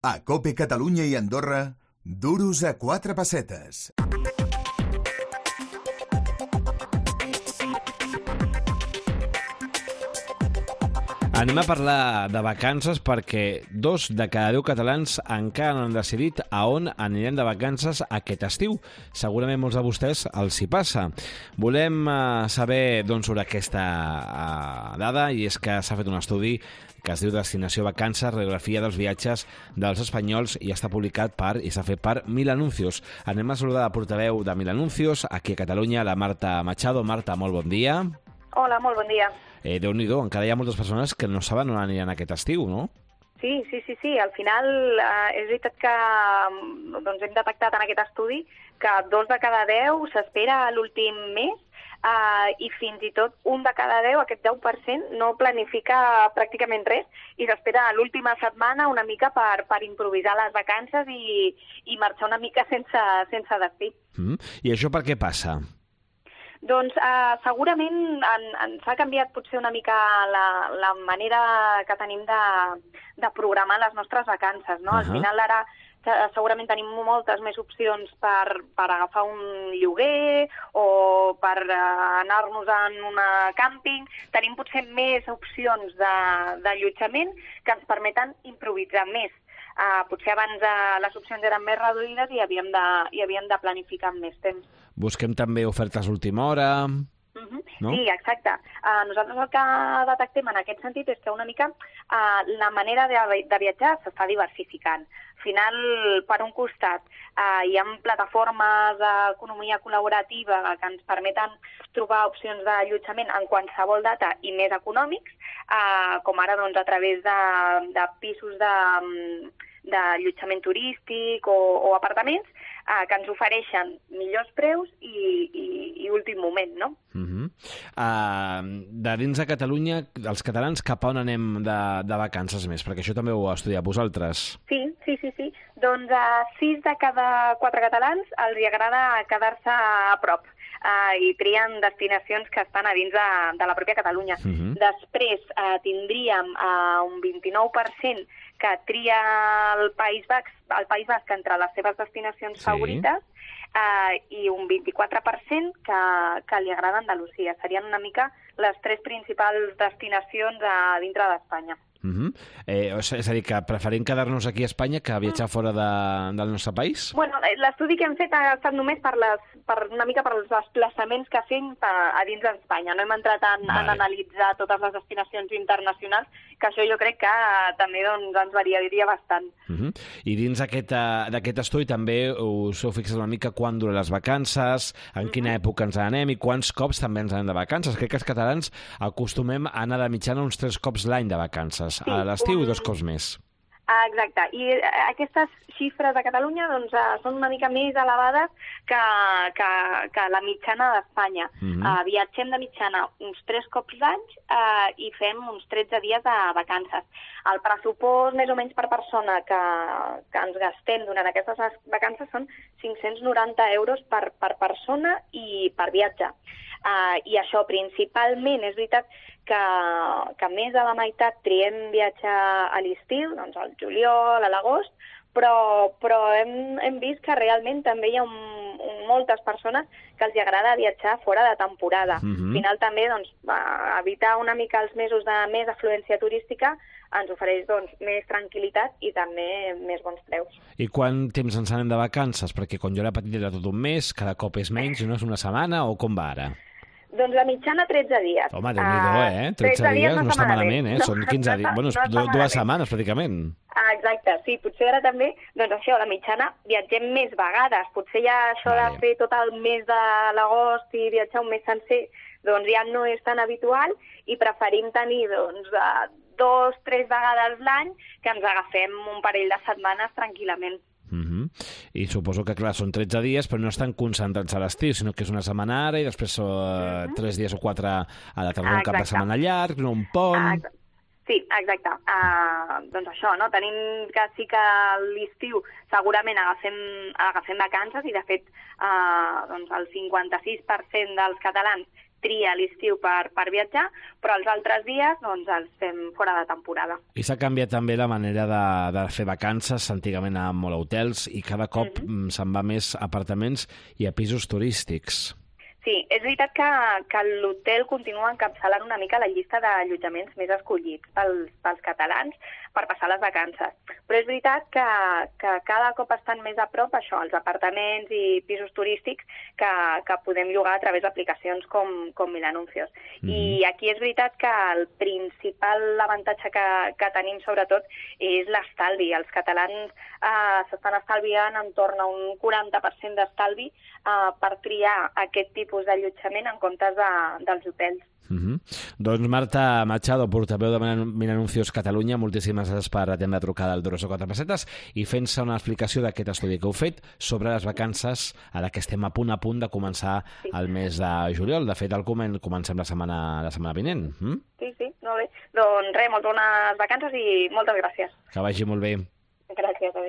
A COPE Catalunya i Andorra, duros a 4 pessetes. Anem a parlar de vacances perquè 2 de cada 10 catalans encara no han decidit a on anirem de vacances aquest estiu. Segurament molts de vostès els hi passa. Volem saber sobre aquesta dada, i és que s'ha fet un estudi que es diu Destinació Vacances, radiografia dels viatges dels espanyols, i està publicat i s'ha fet per Mil Anuncios. Anem a saludar la portaveu de Mil Anuncios, aquí a Catalunya, la Marta Machado. Marta, molt bon dia. Hola, molt bon dia. Déu-n'hi-do, encara hi ha moltes persones que no saben on aniran aquest estiu, no? Sí. Al final és veritat que hem detectat en aquest estudi que 2 de cada 10 s'espera a l'últim mes i fins i tot 1 de cada 10, aquest 10%, no planifica pràcticament res i s'espera a l'última setmana una mica per improvisar les vacances i marxar una mica sense destí. I això per què passa? Doncs segurament ens ha canviat potser una mica la manera que tenim de programar les nostres vacances, no? Al final ara segurament tenim moltes més opcions per agafar un lloguer o per anar-nos en un càmping. Tenim potser més opcions d'allotjament que ens permeten improvisar més. Potser abans les opcions eren més reduïdes i havíem de planificar amb més temps. Busquem també ofertes d'última hora, no? Sí, exacte. Nosaltres el que detectem en aquest sentit és que una mica la manera de viatjar s'està diversificant. Al final, per un costat, hi ha plataformes d'economia col·laborativa que ens permeten trobar opcions d'allotjament en qualsevol data i més econòmics, com ara a través de pisos d'allotjament turístic o apartaments que ens ofereixen millors preus i últim moment, no? De dins de Catalunya, els catalans cap a on anem de vacances més? Perquè això també ho heu estudiat vosaltres. Sí. Doncs 6 de cada 4 catalans els agrada quedar-se a prop i trien destinacions que estan a dins de la pròpia Catalunya. Després tindríem un 29% que tria el País Basc entre les seves destinacions favorites i un 24% que li agrada Andalusia. Serien una mica les 3 principals destinacions dintre d'Espanya. És a dir, que preferim quedar-nos aquí a Espanya que viatjar fora del nostre país? Bueno, l'estudi que hem fet ha estat només per una mica per els desplaçaments que fem a dins d'Espanya. No hem entrat en analitzar totes les destinacions internacionals, que això jo crec que també ens variaria bastant. I dins d'aquest estudi també us heu fixat una mica quan duren les vacances, en quina època ens anem i quants cops també ens anem de vacances. Crec que els catalans acostumem a anar de mitjana uns 3 cops l'any de vacances. Sí, a l'estiu 2 cops més. Exacte. I aquestes xifres de Catalunya són una mica més elevades que la mitjana d'Espanya. Viatgem de mitjana uns 3 cops l'any i fem uns 13 dies de vacances. El pressupost més o menys per persona que ens gastem durant aquestes vacances són 590 euros per persona i per viatge. I això principalment és veritat que més de la meitat triem viatjar a l'estiu, doncs al juliol, a l'agost, però hem vist que realment també hi ha moltes persones que els agrada viatjar fora de temporada. Al final també evitar una mica els mesos de més afluència turística ens ofereix més tranquil·litat i també més bons preus. I quant temps ens anem de vacances? Perquè quan jo era petit era tot un mes, cada cop és menys, no és una setmana, o com va ara? Doncs la mitjana 13 dies. Home, Déu-n'hi-do, 13 dies no està malament, Són 15 dies, bueno, 2 setmanes pràcticament. Exacte, sí, potser ara també, això, la mitjana viatgem més vegades, potser ja això de fer tot el mes de l'agost i viatjar un mes sencer, ja no és tan habitual i preferim tenir 2-3 vegades l'any que ens agafem un parell de setmanes tranquil·lament. I suposo que, clar, són 13 dies, però no estan concentrats a l'estiu, sinó que és una setmana ara i després 3 dies o 4 a la tardor, un cap de setmana llarg, un pont... Sí, exacte. Doncs això, no? Tenim que sí que a l'estiu segurament agafem vacances i, de fet, el 56% dels catalans tria l'estiu per viatjar, però els altres dies doncs, els fem fora de temporada. I s'ha canviat també la manera de fer vacances. Antigament anàvem molt a hotels i cada cop se'n va més a apartaments i a pisos turístics. Sí, és veritat que l'hotel continua encapçalant una mica la llista d'allotjaments més escollits pels catalans per passar les vacances. Però és veritat que cada cop estan més a prop això, els apartaments i pisos turístics que podem llogar a través d'aplicacions com Milanuncios. I aquí és veritat que el principal avantatge que tenim sobretot és l'estalvi. Els catalans s'estan estalviant entorn a un 40% d'estalvi per triar aquest tipus d'allotjament en comptes dels hotels. Doncs Marta Machado, portaveu de Milanuncios Catalunya, moltíssimes gràcies per atendre la trucada al 204 pessetes i fent-se una explicació d'aquest estudi que heu fet sobre les vacances, ara que estem a punt de començar el mes de juliol. De fet, el comencem la setmana vinent. Sí, molt bé. Doncs res, molt bones vacances i moltes gràcies. Que vagi molt bé. Gràcies, adéu.